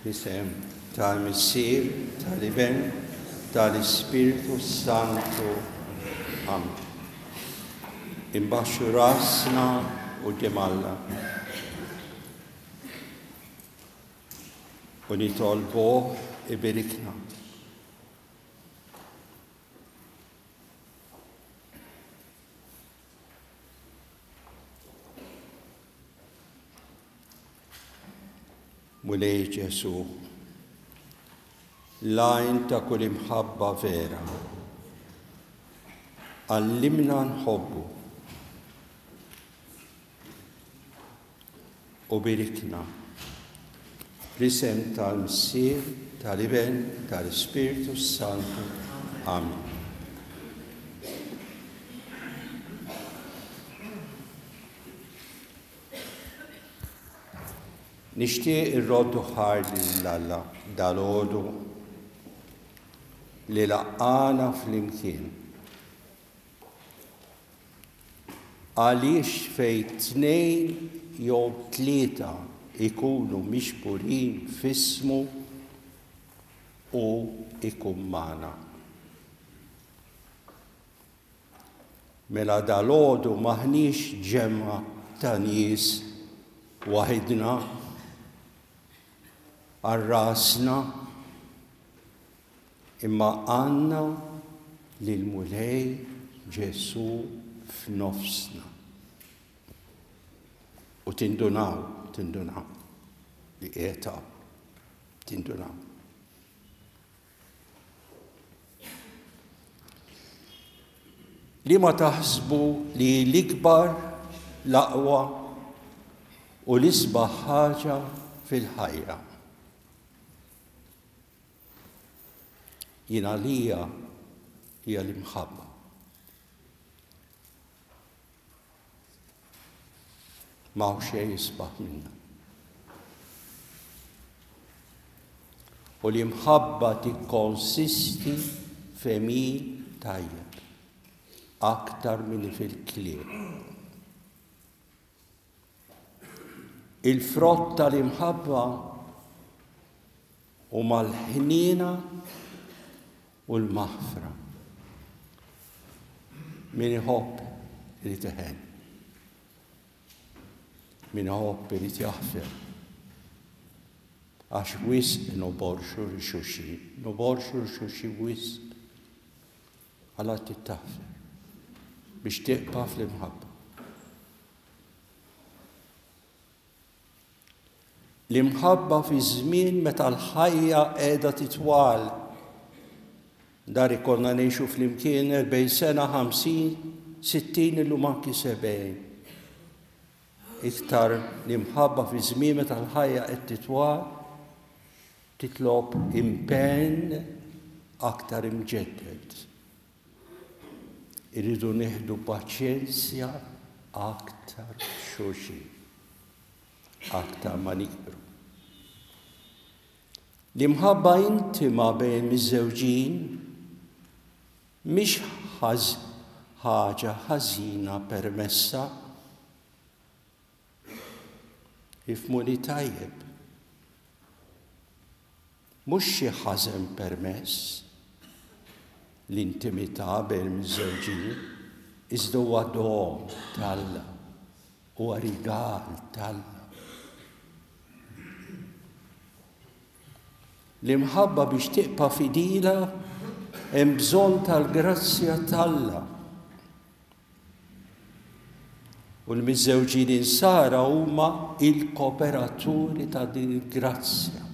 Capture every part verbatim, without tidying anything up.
Fl-isem tal-Missier, tal-Iben, tal-Ispirtu Santu. Amen. Imbaxxu rasna quddiem Alla. U nitolbuh ibirikna. Mulej Ġesù, l-għajn ta' kull imħabba vera, għallimna nħobbu u birikna. Fl-isem tal-Missier, tal-Iben, tal-Ispirtu Santu. Amen. Nixtieq irroddu ħajr lil Alla dalgħodu li laqqana flimkien. Għaliex fejn tnejn jew tlieta ikunu miġburin f'ismu u ikun magħna. Mela dalgħodu m'aħniex ġemgħa ta' nies waħidna għal rasna, imma għandna lill-Mulej Ġesù f'nofsna. U tindunaw, tindunaw li qiegħed hawn, tindunaw. Li ma taħsbu li l-ikbar, l-aqwa u l-isbaħ ħaġa fil-ħajja. Jien għalija hija l-imħabba. Ma hawn xejn isbaħ minnha. U l-imħabba tikkonsisti f'għemil tajjeb aktar milli fil-kliem. Il-frott tal-imħabba huma l-ħniena u l-maħfra. Min iħobb irid iħenn. Min iħobb irid jaħfer. Għax wisq noborxu lil xulxin, noborxu lil xulxin wisq. Alla trid taħfer biex tibqa' fl-imħabba. L-imħabba fi żmien meta l-ħajja qiegħda titwal. Dar ikollna ngħixu flimkien erbgħin sena, ħamsin, sittin, illum anki sebgħin. Iktar l-imħabba fi żmien meta l-ħajja qed titwal titlob impenn aktar imġedded. Irridu nieħdu paċenzja aktar xulxin, aktar ma nikbru. L-imħabba intima bejn miżżewġin mhix ħaġa ħażina permessa. Ifhmuni tajjeb. Mhux xi ħażen permess l-intimità bejn miżżewġin, iżda huwa don t'Alla, huwa rigal t'Alla. L-imħabba biex tibqa' fidila hemm bżonn tal-grazzja t'Alla. U l-miżżewġin insara huma il-kooperaturi ta' din il-grazzja.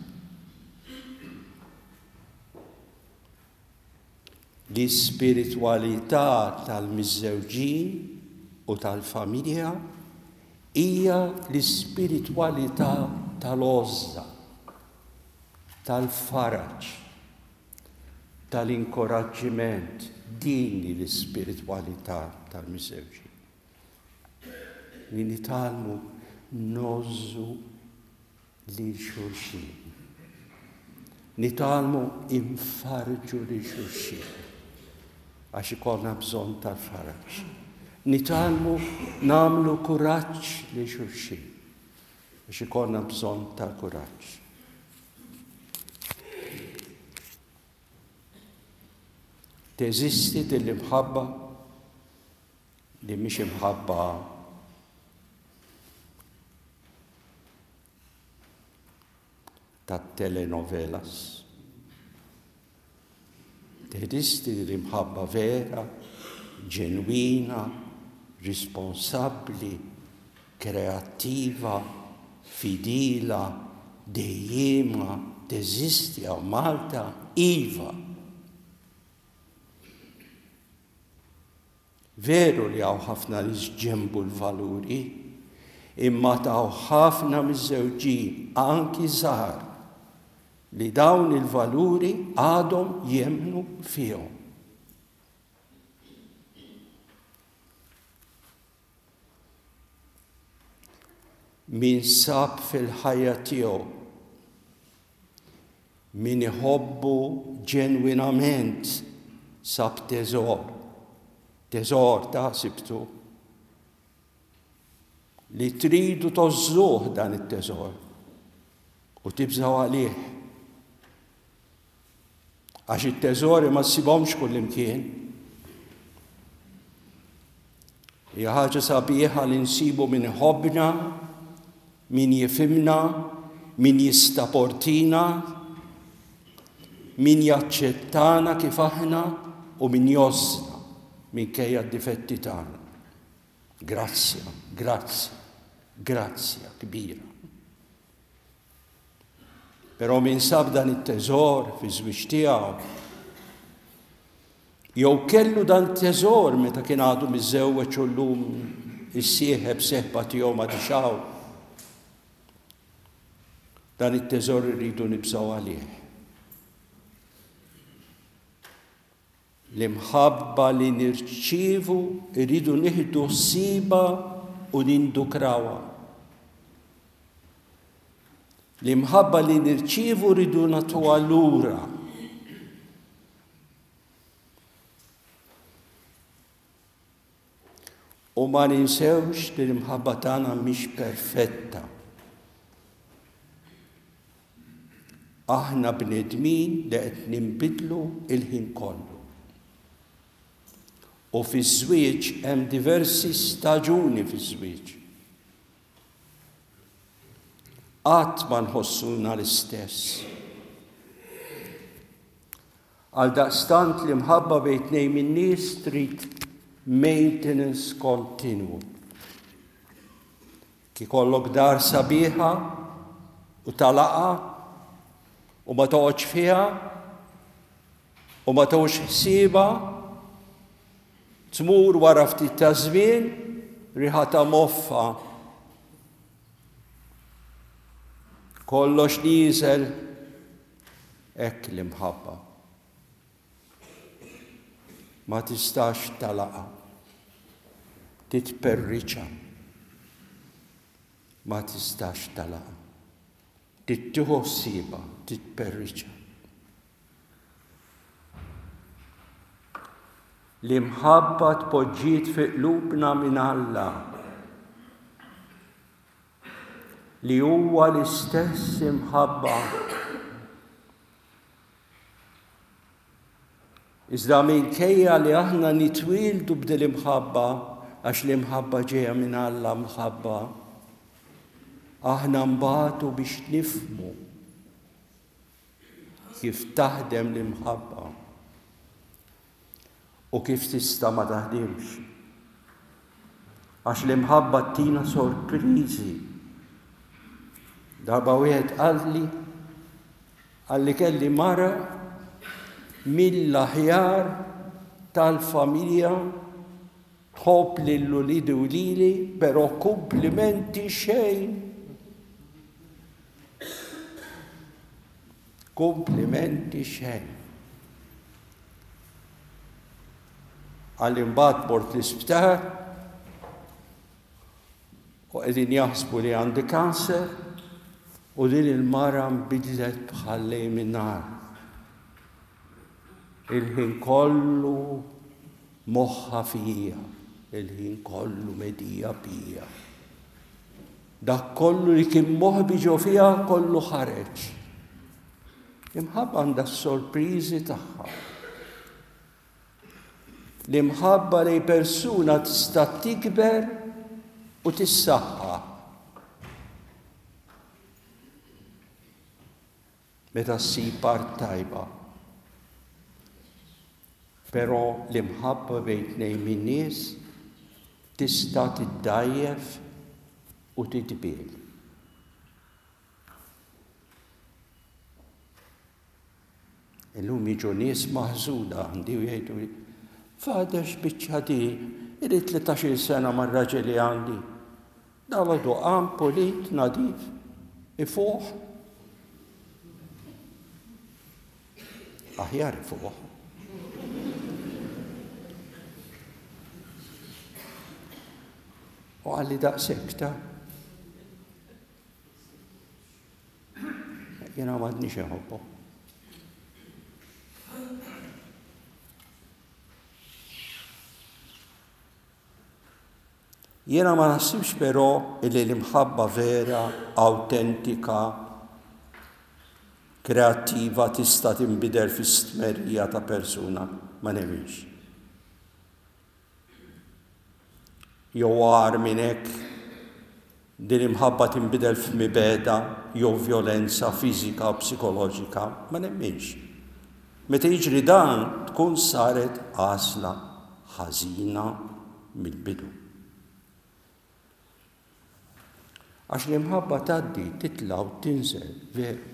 L-ispiritwalità tal-miżżewġin u tal-familja hija l-ispiritwalità tal-għożża, tal-faraġ, tal-inkoraġġiment. Din hi l-ispiritwalità tal-miżżewġin. Li nitgħallmu ngħożżu lil xulxin. Nitgħallmu infarġu lil xulxin għax ikollna bżonn tal-faraġ. Nitgħallmu nagħmlu kuraġġ lil xulxin għax ikollna bżonn tal-kuraġġ. Teżisti din l-imħabba li mhix imħabba tat-telenovelas. Teżisti din l-imħabba vera, ġenwina, responsabbli, kreattiva, fidila, dejjema, teżisti hawn Malta, iva. Veru li hawn ħafna nies ġenbu l-valuri, imma taw ħafna miż-żewġin, anki żgħar, li dawn il-valuri għadhom jemmnu fihom. Min sab fil-ħajja tiegħu, min iħobbu ġenwinament sab teżor. Teżor ta' sibtu li tridu tożżuh dan it-teżor u tibżgħu għalih. Għax it-teżori ma ssibhomx kullimkien. Hija ħaġa sabiħa li nsibu min iħobbna, min jifhimna, min jistaportina, min jaċċettana kif aħna u min jgħożżna minkejja d-difetti tagħna. Grazzja, grazzja, grazzja kbira. Però min sab dan it-teżor fiż-żwieġ tiegħu, jew kellu dan teżor meta kien għadu miżżewweġ u llum is-sieħeb seħba tiegħu ma tixaw, dan it-teżor irridu nibżgħu għalih. L-imħabba li nirċievu rridu nieħdu ħsiebha u nindukrawha. L-imħabba li nirċievu rridu nagħtuha lura. U ma ninsewx li l-imħabba tagħna mhix perfetta. Aħna bnedmin li qed ninbidlu il-ħin kollu. U fiż-żwieġ hemm diversi staġuni fiż-żwieġ. Qatt ma nħossuna l-istess. Għaldaqstant l-imħabba bejn tnejn min-nies trid maintenance kontinwu. Kif ikollok dar sabiħa u talaqa u ma toqgħodx fiha u ma toqgħodx ħsiebha, tmur wara ftit ta' żmien riħa ta' moffa. Kollox nieżel, hekk l-imħabba. Ma tistax talaqa, titperriċa. Ma tistax talaqa, tittieħu ħsiebha, titperriċa. L-imħabba tpoġġiet fi qlubna minn Alla, li huwa l-istess imħabba. Iżda minkejja li aħna nitwieldu b'dil imħabba, għax l-imħabba ġejja minn Alla mħabba, aħna nbatu biex nifhmu kif taħdem l-imħabba u kif tista' ma taħdimx. Għax l-imħabba tina sorpriżi. Darba wieħed qalli, qalli kelli mara mill-aħjar tal-familja, tħobb lil uliedi u lili, però kumplimenti xejn. Kumplimenti xejn. Għalli mbagħad mort l-isptar u qegħdin jaħsbu li għandi kanser u din il-mara nbidlet bħal lejl min-nar. Il-ħin kollu moħħa fija, il-ħin kollu medija bija. Dak kollu li kien moħbi ġo fija kollu ħareġ. Imħabba għandha s-sorpriżi tagħha. L-imħabba lejn persuna tista' tikber u tissaħħa. Meta ssib art tajba. Però l-imħabba bejn tnejn min-nies tista' tiddgħajjef u titbiel. Illum jiġu nies maħżuda għandi u jgħidu, Father, x'biċċa di, ili tlettax-il sena mar-raġel li għandi. Dalgħodu qam pulit, nadif, ifuħ. Aħjar ifuħ. U qalli daqshekk ta' jiena m'għadniex inħobbu. Jiena ma naħsibx però illi l-imħabba vera, awtentika, kreattiva tista' tinbidel fi stmerrija ta' persuna, ma nemminx. Jew agħar minn hekk, din l-imħabba tinbidel f'mibegħda jew vjolenza fiżika u psikoloġika, ma nemminx. Meta jiġri dan, tkun saret għażla ħażina mill-bidu. Għax l-imħabba tgħaddi, titla' u tinżel, veru.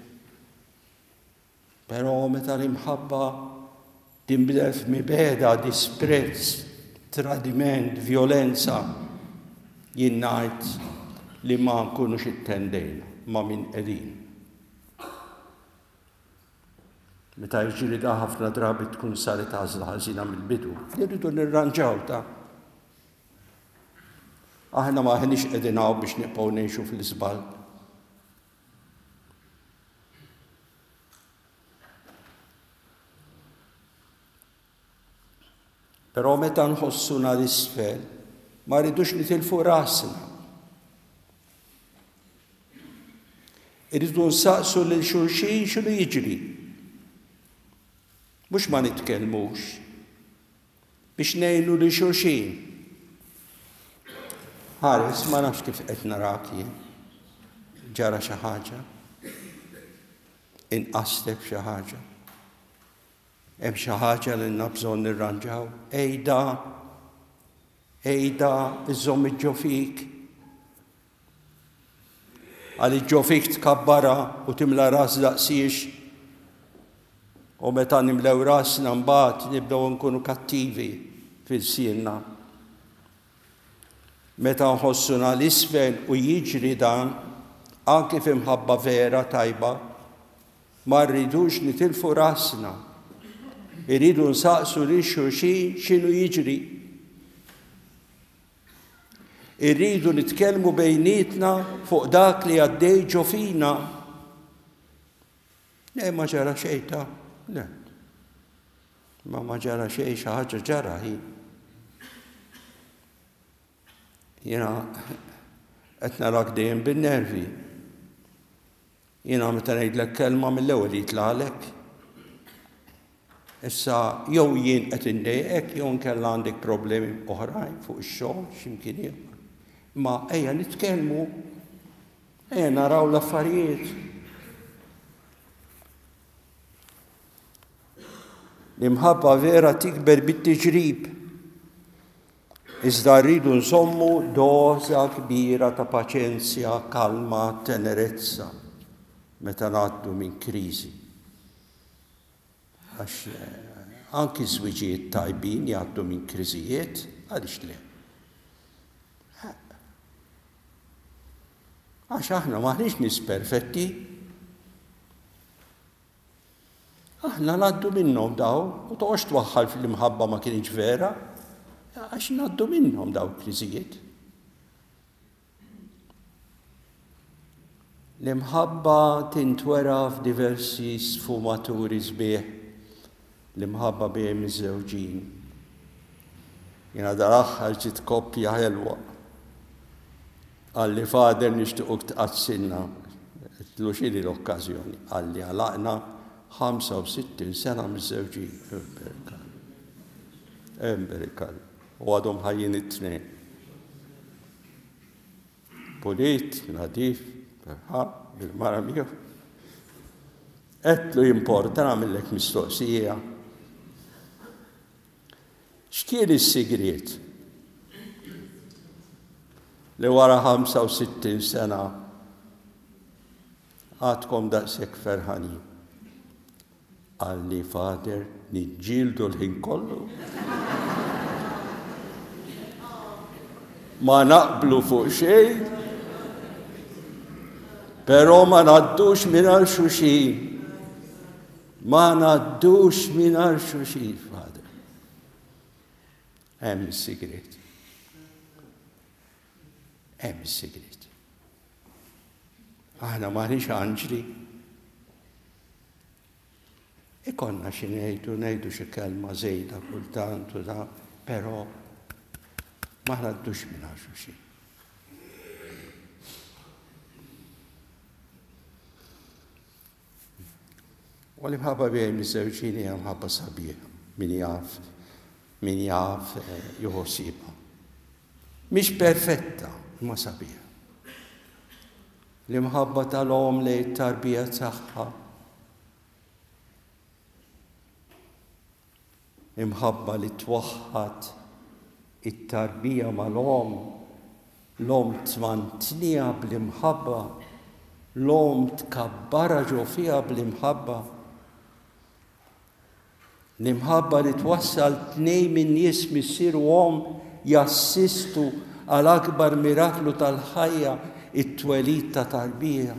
Però meta l-imħabba tinbidel f'mibegħda, disprezz, tradiment, vjolenza, jien ngħid li ma nkunux ittendejna ma' min qegħdin. Meta jiġri da ħafna drabi tkun saret għażla ħażina mill-bidu. Irridu nirranġaw ta' Aħna ma aħniex qegħdin hawn biex nibqgħu ngħixu fl-iżball. Però meta nħossuna l-isfel, ma rridux nitilfu rasna. Irridu nsaqsu lil xulxin x'inhu jiġri. Mhux ma nitkellmux biex ngħinu lil xulxin. Ħares, ma nafx kif qed narak jien. Ġara xi ħaġa. Inqastek xi ħaġa. Hemm xi ħaġa li għandna bżonn nirranġaw. Ejda, ejda, iżomm ġo fik. Għaliex ġo fik tkabbara u timla ras daqsiex. U meta nimlew rasna mbagħad nibdew nkunu kattivi fil-sienna. Meta nħossuna l-isfel u jiġri dan, anki f'imħabba vera tajba, ma rridux nitilfu rasna. Irridu nsaqsu lil xulxin x'inhu jiġri. Irridu nitkellmu bejnietna fuq dak li għaddej ġo fina. Le, ma ġara xejn ta' le. Ma ma ġara xejn, xi ħaġa ġara hi. Jiena qed narak dejjem bin-nervi. Jiena meta ngħidlek kelma mill-ewwel jitlaqlek. Issa jew jien qed indejqek jew nkella għandek problemi oħrajn fuq ix-xogħol x'imkien ieħor. Ma ejja nitkellmu, ejja naraw l-affarijiet. L-imħabba vera tikber bit-tiġrib. Iżda rridu nżommu doża kbira ta' paċenzja, kalma, tenerezza meta ngħaddu minn kriżi. Għax, eh, anki żwiġijiet tajbin jgħaddu minn kriżijiet, għaliex le? Għax aħna maħniex nies perfetti. Aħna ngħaddu minnhom daw u toqgħodx twaħħal fl-imħabba ma kienx vera, għax ngħaddu minnhom daw kriżijiet. L-imħabba tintwera f'diversi sfumaturi sbieħ, l-imħabba bejn miżżewġin. Jiena dal-aħħar ġiet koppja ħelwa. Qalli Father nixtiequk tqaddsilna. Għedtlu x'inhi l-okkażjoni? Qalli għalaqna ħamsa u sittin sena miżżewġin. Emberikal. U għadhom ħajjin it-tnejn. Pulit, nadif, ferħan, bil-mara miegħu. Għedtlu jimporta nagħmillek mistoqsija. X'kien is-sigriet li wara ħamsa u sittin sena għadkom daqshekk ferħanin? Qalli, Father, niġġieldu l-ħin kollu. Ma naqblu fuq xejn, però ma ngħaddux mingħajr xulxin. Ma ngħaddux mingħajr xulxin, Father. Hemm is-sigriet. Hemm is-sigriet. Aħna m'aħniex anġli. Ikonna xi ngħidu, ngħidu xi kelma żejda kultant u da, però ma ngħaddux mingħajr xulxin. U l-imħabba bejn miżżewġin hija mħabba sabiħa, min jaf, min jaf, eh, jieħu ħsiebha. Mhix perfetta, imma sabiħa. L-imħabba tal-omm lejn it-tarbija tagħha. Imħabba li twaħħad it-tarbija mal-omm, l-omm tmantniha bl-imħabba, l-omm tkabbarha ġo fiha bl-imħabba. L-imħabba li twassal tnejn minn nies missier u omm jassistu għal akbar miraklu tal-ħajja, it-twelid ta' tarbija.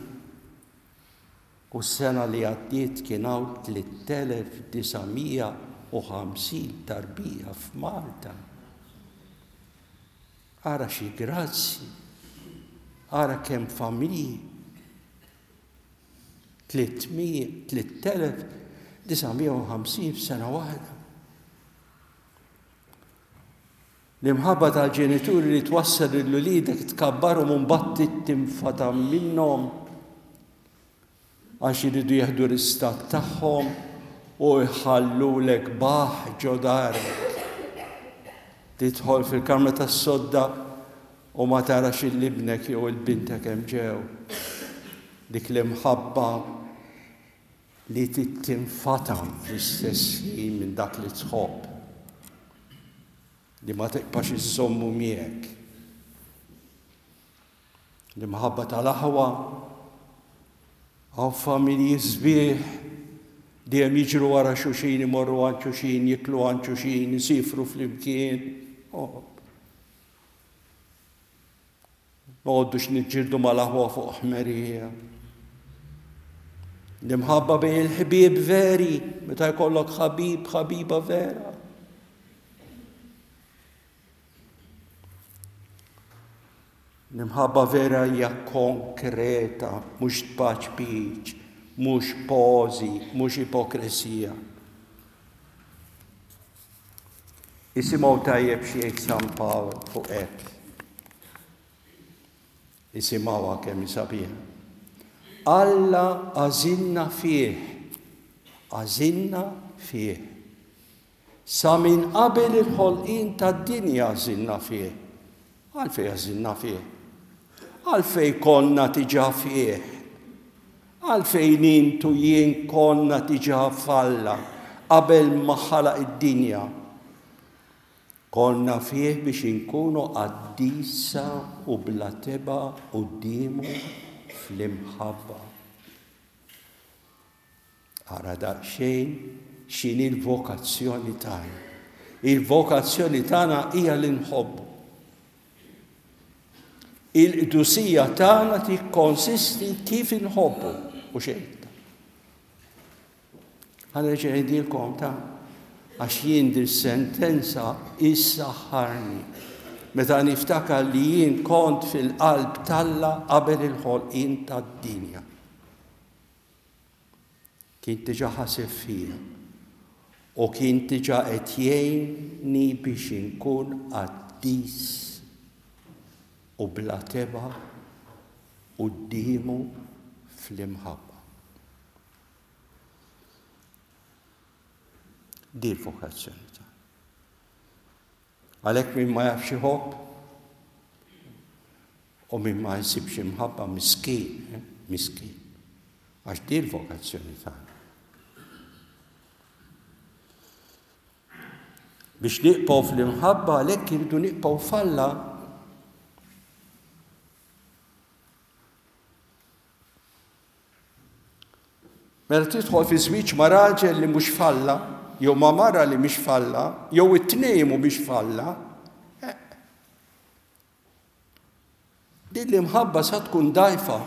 U s-sena li għaddiet kien hawn tliet elef disa' mija u ħamsin tarbija f'Malta. Ara xi grazzi, ara kemm familji. Tliet mija, tliet elef disa' mija u ħamsin f'sena waħda. L-imħabba tal-ġenituri li twassal lil uliedek tkabbarhom u mbagħad tinfata minnhom għax iridu jieħdu l-istat tagħhom u jħallulek baħ ġo darek. Tidħol fil-kamra tas-sodda u ma tarax il-ibnek jew il-bintek hemm ġew. Dik l-imħabba li tinfatam fl-istess ħin minn dak li tħobb, li ma tibqax iżommu miegħek. L-imħabba tal-aħwa, hawn familji sbieħ dejjem jiġru wara xulxin, imorru għand xulxin, jiklu għand xulxin, isifru flimkien. Oh. Noqogħdux niġġieldu mal-aħwa fuq ħmerija. L-imħabba bejn il-ħbieb veri, meta jkollok ħabib, ħabiba vera. L-imħabba vera hija konkreta, mhux tpaċpiċ, mhux pożi, mhux ipokresija. Isimgħu tajjeb xi jgħid San Pawl fuq hekk. Isimgħuha kemm hi sabiħa. Alla għażilna fih, għażilna fih. Sa minn qabel il-ħolqien tad-dinja għażilna fih. Għalfejn għażilna fih? Għalfejn konna diġà fih? Għalfejn intu jien konna diġà f'Alla qabel ma ħalaq id-dinja? Konna fih biex inkunu qaddisa u bla tebgħa quddiemu fl-imħabba. Ara daqsxejn x'inhi l-vokazzjoni tagħna. Il-vokazzjoni tagħna hija li nħobbu. Il-qdusija tagħna tikkonsisti kif inħobbu u xejn. Ħa nerġa' ngħidilkom ta' għax jien din sentenza issaħħarni meta niftakar li jien kont fil-qalb t'Alla qabel il-ħolqien tad-dinja. Kien diġà ħaseb fija u kien diġà qed jgħinni biex inkun qaddis u bla tebgħa quddiemu fl-imħabba. Di l-vokazzjoni tagħna. Għalhekk min ma jafx iħobb u min ma jsibx imħabba miskin, eh? Miskin. Għax di l-vokazzjoni tagħna. Biex niqbgħu fl-imħabba għalhekk irridu niqbgħu f'Alla. Mela tidħol fi żwieġ ma' raġel li mhux f'Alla, jew ma' mara li mhix f'Alla, jew it-tnejn mhumiex f'Alla, eh. Din l-imħabba sa tkun dgħajfa.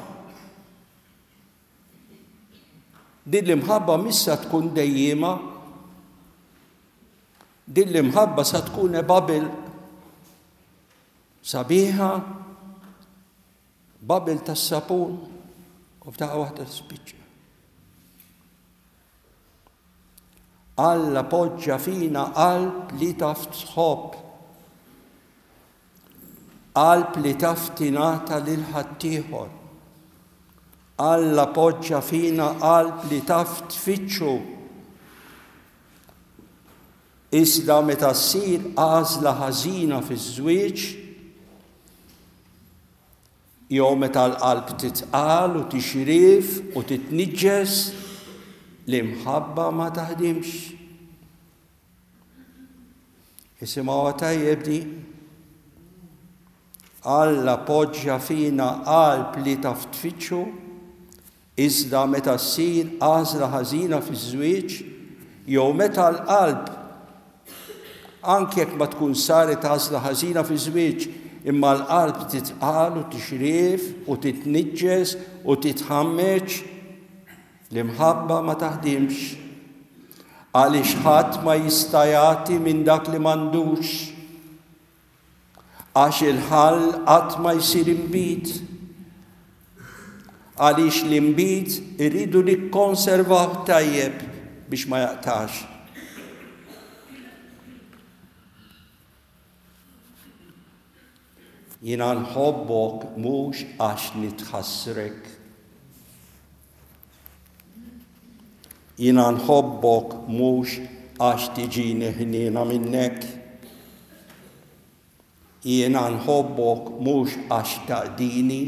Din l-imħabba mhix sa tkun dejjiema. Din l-imħabba sa tkun bubble sabiħa, bubble tas-sapun, u f'daqqa waħda tispiċċa. Alla poġġa fina qalb li taf tħobb, qalb li taf tingħata lil ħaddieħor. Alla poġġa fina qalb li taf tfittxu. Iżda meta ssir għażla ħażina fiż-żwieġ, jew meta l-qalb titqal u tixrif u titniġġes, l-imħabba ma taħdimx. Isimgħuha tajjeb di. Alla poġġa fina qalb li taf tfittxu, iżda meta ssir għażla ħażina fiż-żwieġ, jew meta l-qalb, anke jekk ma tkun saret għażla ħażina fiż-żwieġ, imma l-qalb titqal u tixrif u titniġġes u titħammeġ, l-imħabba ma taħdimx. Għaliex ħadd ma jista' jagħti minn dak li m'għandux. Għax il-ħall qatt ma jsir inbid. Għaliex l-inbid irridu nikkonservaw tajjeb biex ma jaqtax. Jiena nħobbok mhux għax nitħassrek. Jiena nħobbok mhux għax tiġini ħniena minnek. Jiena nħobbok mhux għax taqdini.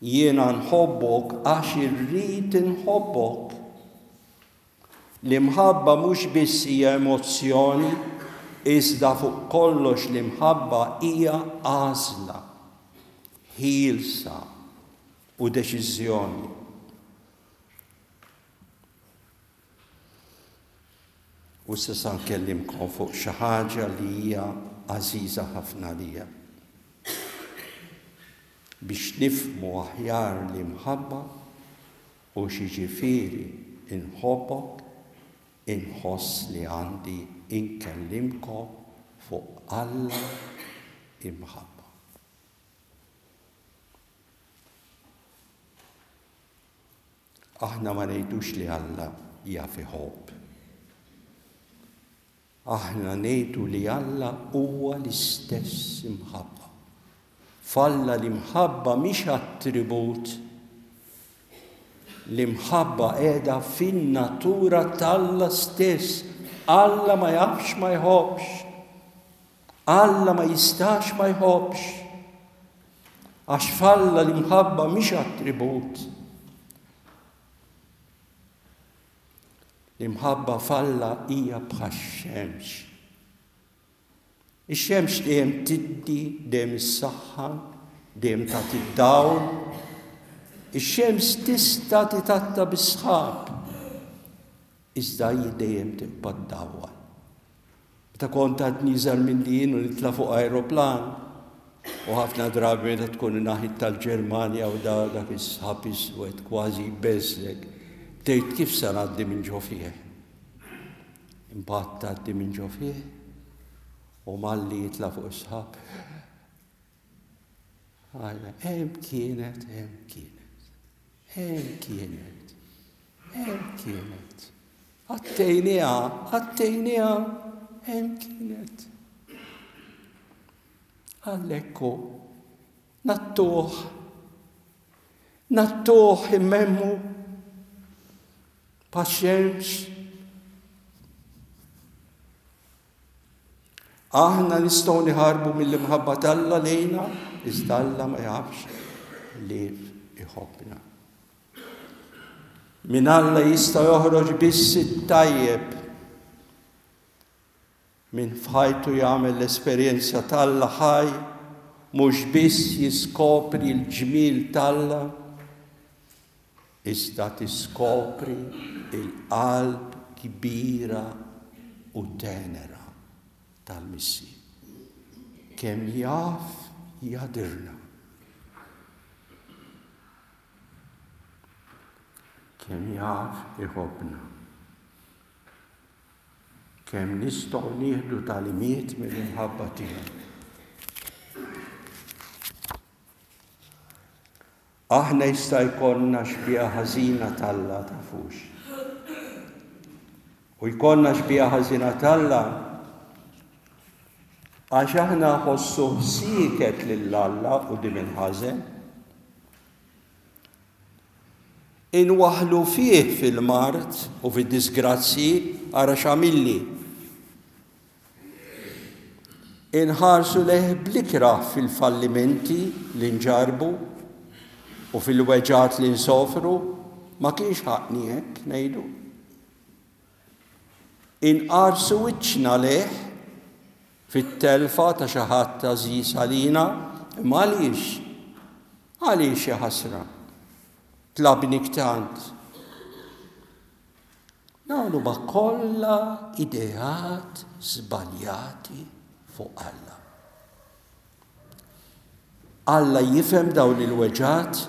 Jiena nħobbok għax irrid inħobbok. L-imħabba mhux biss hija emozzjoni, iżda fuq kollox l-imħabba hija għażla, ħielsa u deċiżjoni. U issa sa nkellimkom fuq xi ħaġa li hija għażiża ħafna lija. Biex nifhmu aħjar l-imħabba u x'jiġifieri inħobbok, inħoss li għandi inkellimkom fuq Alla imħabba. Aħna ma ngħidux li Alla jaf iħobb. Aħna ngħidu li Alla huwa l-istess imħabba. F'Alla l-imħabba mhix attribut. L-imħabba qiegħda fin-natura t'Alla stess. Alla ma jafx ma jħobbx. Alla ma jistax ma jħobbx. Għax f'Alla l-imħabba mhix attribut. L-imħabba f'Alla hija bħax-xemx. Ix-xemx dejjem tiddi, dejjem issaħħan, dejjem tagħti d-dawl. Ix-xemx tista' titatta bis-sħab, iżda hi dejjem tibqa' ddawwal. Meta kont għadni iżgħar milli jien u nitla' fuq aeroplan, u ħafna drabi meta tkun naħit tal-Ġermanja u da dak is-sħab iswed kważi jbeżżek, tgħid kif se ngħaddi minn ġo fih. Imbagħad tgħaddi minn ġo fih u malli jitla' fuq is-sħab. Għajna, hemm kienet, hemm kienet, hemm kienet, hemm kienet. Għattejniha, għattejniha, hemm kienet. Għalhekk hu, nattuh, nattuh immemmu, paxxemx. Aħna nistgħu niħarbu mill-imħabba t'Alla lejna, iżda Alla ma jafx li iħobbna. Minn Alla jista' joħroġ biss it-tajjeb. Min f'ħajtu jagħmel l-esperjenza t'Alla ħaj, mhux biss jiskopri l-ġmiel t'Alla, iżda tiskopri l-qalb kbira u tenera tal-Missier. Kemm jaf jadirna. Kemm jaf iħobbna. Kemm nistgħu nieħdu tagħlimiet mill-imħabba tiegħu. Aħna jista' jkollna xbieha ħażina t'Alla, tafux. U jkollna xbieha ħażina t'Alla għax aħna ħossu sieket lil Alla quddiem il-ħażen. Inwaħħlu fih fil-mard u fid-disgrazzji, ara x'għamilli. Inħarsu lejh bl-ikrah fil-fallimenti li nġarbu u fil-weġgħat li nsofru, ma kienx ħaqni hekk ngħidu. Inqarsu wiċċna lejh fit-telfa ta' xi ħadd għażiż għalina, imma għaliex? Għaliex ja ħasra? Tlabnik tant. Dawn huma kollha ideat żbaljati fuq Alla. Alla jifhem dawn il-weġgħat,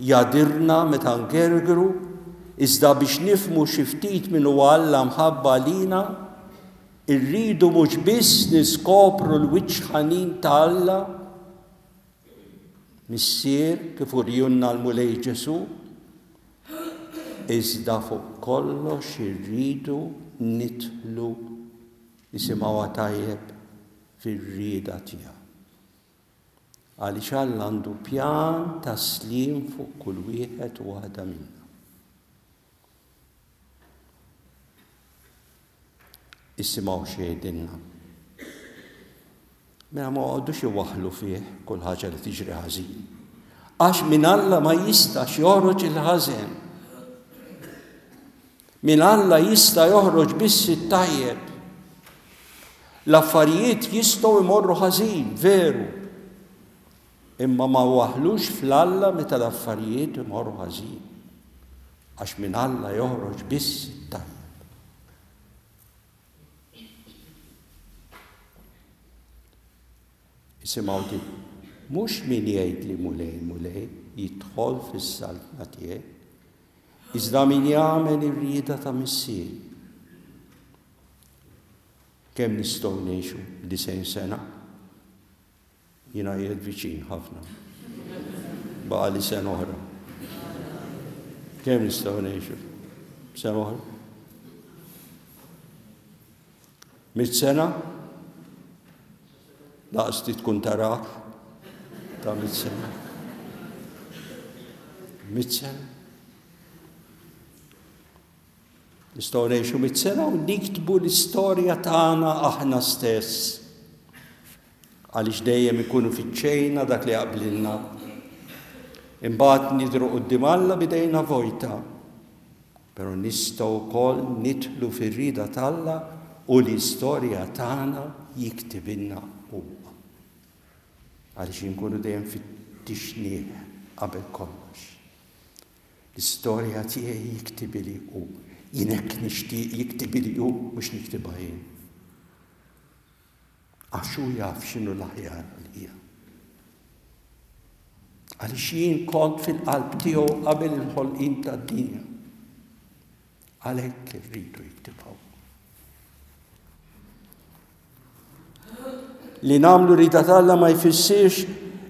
jadirna meta ngergru, iżda biex nifhmu xi ftit min huwa Alla mħabba għalina, irridu mhux biss niskopru l-wiċċ ħanin ta' Alla, Missier kif urjunna l-Mulej Ġesù, iżda fuq kollox irridu nidħlu, isimgħuha tajjeb, fir-rieda tiegħu. Għaliex Alla għandu pjan ta' sliem fuq kull wieħed u waħda minna. Isimgħu x'jgħidilna. Mela ma għodux iwaħħlu fih kull ħaġa li tiġri ħażin. Għax minn Alla ma jistax joħroġ il-ħażen. Minn Alla jista' joħroġ biss it-tajjeb. L-affarijiet jistgħu jmorru ħażin, veru. Imma ma waħlux fl-Alla meta l-affarijiet imorru ħażin. Għax minn Alla joħroġ biss it-tajjeb. Isimgħu din. Mhux min jgħid li Mulej, Mulej, jidħol fis-saltna tiegħi, iżda min jagħmel ir-rieda ta' Missieri. Kemm nistgħu ngħixu disgħin sena? Jiena qiegħed viċin ħafna. Baqa' li sena oħra. Kemm nistgħu ngħixu? Sena oħra? Mitt sena? Laqas ti tkun taraħ ta' mitt sena. Mitt sena. Nistgħu ngħixu mitt sena u niktbu l-istorja tagħna aħna stess. Għaliex dejjem ikunu fiċċejna dak li jaqblilna. Imbagħad nidhru quddiem Alla b'idejna vojta. Però nistgħu wkoll nidħlu fir-rieda t'Alla u l-istorja tagħna jiktibilna huwa. Għaliex inkunu dejjem fit-tixnieh qabel kollox. L-istorja tiegħi jiktibili hu. Jien hekk nixtieq jiktibili hu, mhux niktibha jien. Għax hu jaf x'inhu l-aħjar għalija. Għaliex jien kont fil-qalb tiegħu qabel il-ħolqien tad-dinja. Għalhekk irridu jiktibha. Li nagħmlu rida t'Alla ma jfissirx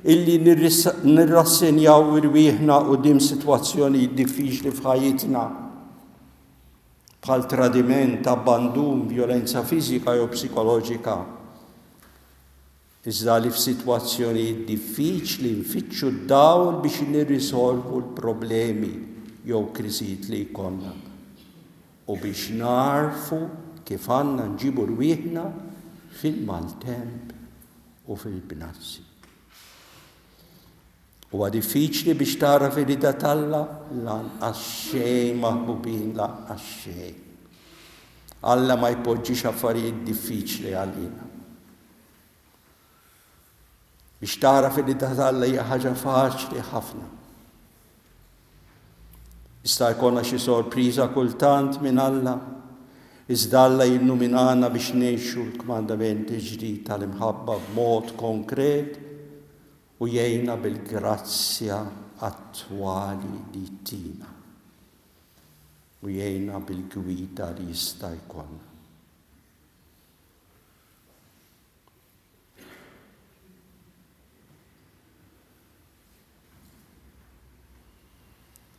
illi nirrassenjaw irwieħna quddiem sitwazzjonijiet diffiċli f'ħajjitna bħal tradiment, abbandun, vjolenza fiżika jew psikoloġika. Iżda li f'sitwazzjonijiet diffiċli nfittxu d-dawl biex nirrisolvu l-problemi jew kriżijiet li jkollna u biex nagħrfu kif għandna nġibu rwieħna fil-maltemp u fil-bnazzi. Huwa diffiċli biex tagħraf ir-rieda t'Alla? Lanqas xejn, maħbubin, lanqas xejn. Alla ma jpoġġix affarijiet diffiċli għalina. Biex tagħraf ir-rieda t'Alla hija ħaġa faċli ħafna. Jista' jkollna xi sorpriża kultant minn Alla, iżda Alla jilluminana biex ngħixu l-kmandament ġdid tal-imħabba b'mod konkret u jgħinna bil-grazzja attwali li tina u jgħinna bil-gwida li jista' jkollna.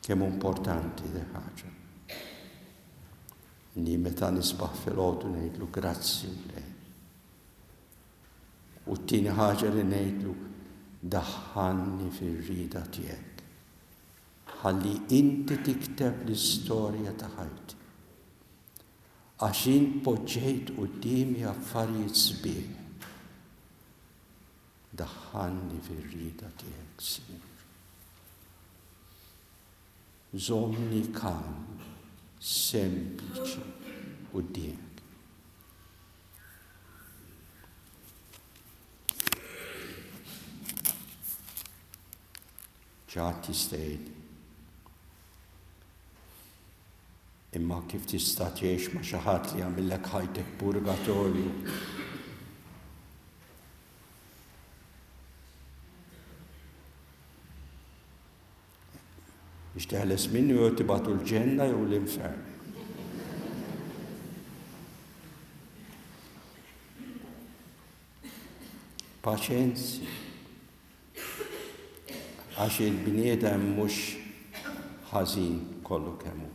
Kemm importanti di ħaġa. Li meta nisbaħ filgħodu ngħidlu grazzi lej. U t-tieni ħaġa li ngħidlu daħħalni fir-rieda tiegħek. Ħalli inti tikteb l-istorja ta' ħajti. Għax int poġġejt quddiemi affarijiet sbieħ. Daħħalni fir-rieda tiegħek, Sinjur. Żommni kalm, sempliċi quddiemek. Ġat jista' jgħid, imma kif tista' tgħix ma' xi ħadd li jagħmillek ħajtek purgatorju? Biex teħles minnu jew tibgħatu l-ġenna jew l-infern. Paċenzja. Għax il-bniedem mhux ħażin kollu kemm hu.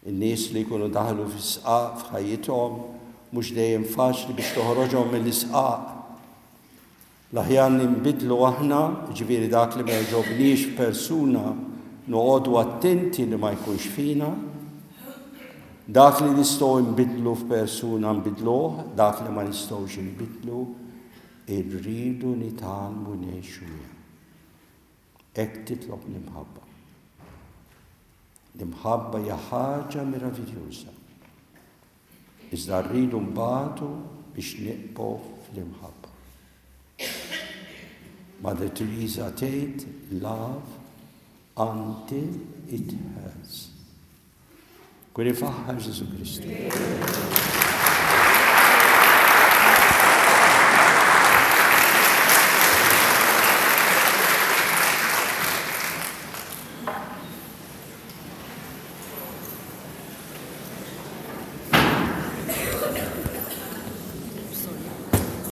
In-nies li jkunu daħlu fis-sqaq f'ħajjithom mhux dejjem faċli biex toħroġhom mill-isqaq. L-aħjar ninbidlu aħna, ġifieri dak li ma jogħġobniex f'persuna noqogħdu attenti li ma jkunx fina. Dak li nistgħu nbidlu f'persuna nbidluh, dak li ma nistgħux nbidlu irridu nitgħallmu ngħixu miegħu. Hekk titlob l-imħabba. L-imħabba hija ħaġa meraviljuża. Iżda rridu nbatu biex nibqgħu fl-imħabba. Mother Teresa tgħid love until it hurts. Kun ifaħħar Ġesù Kristu.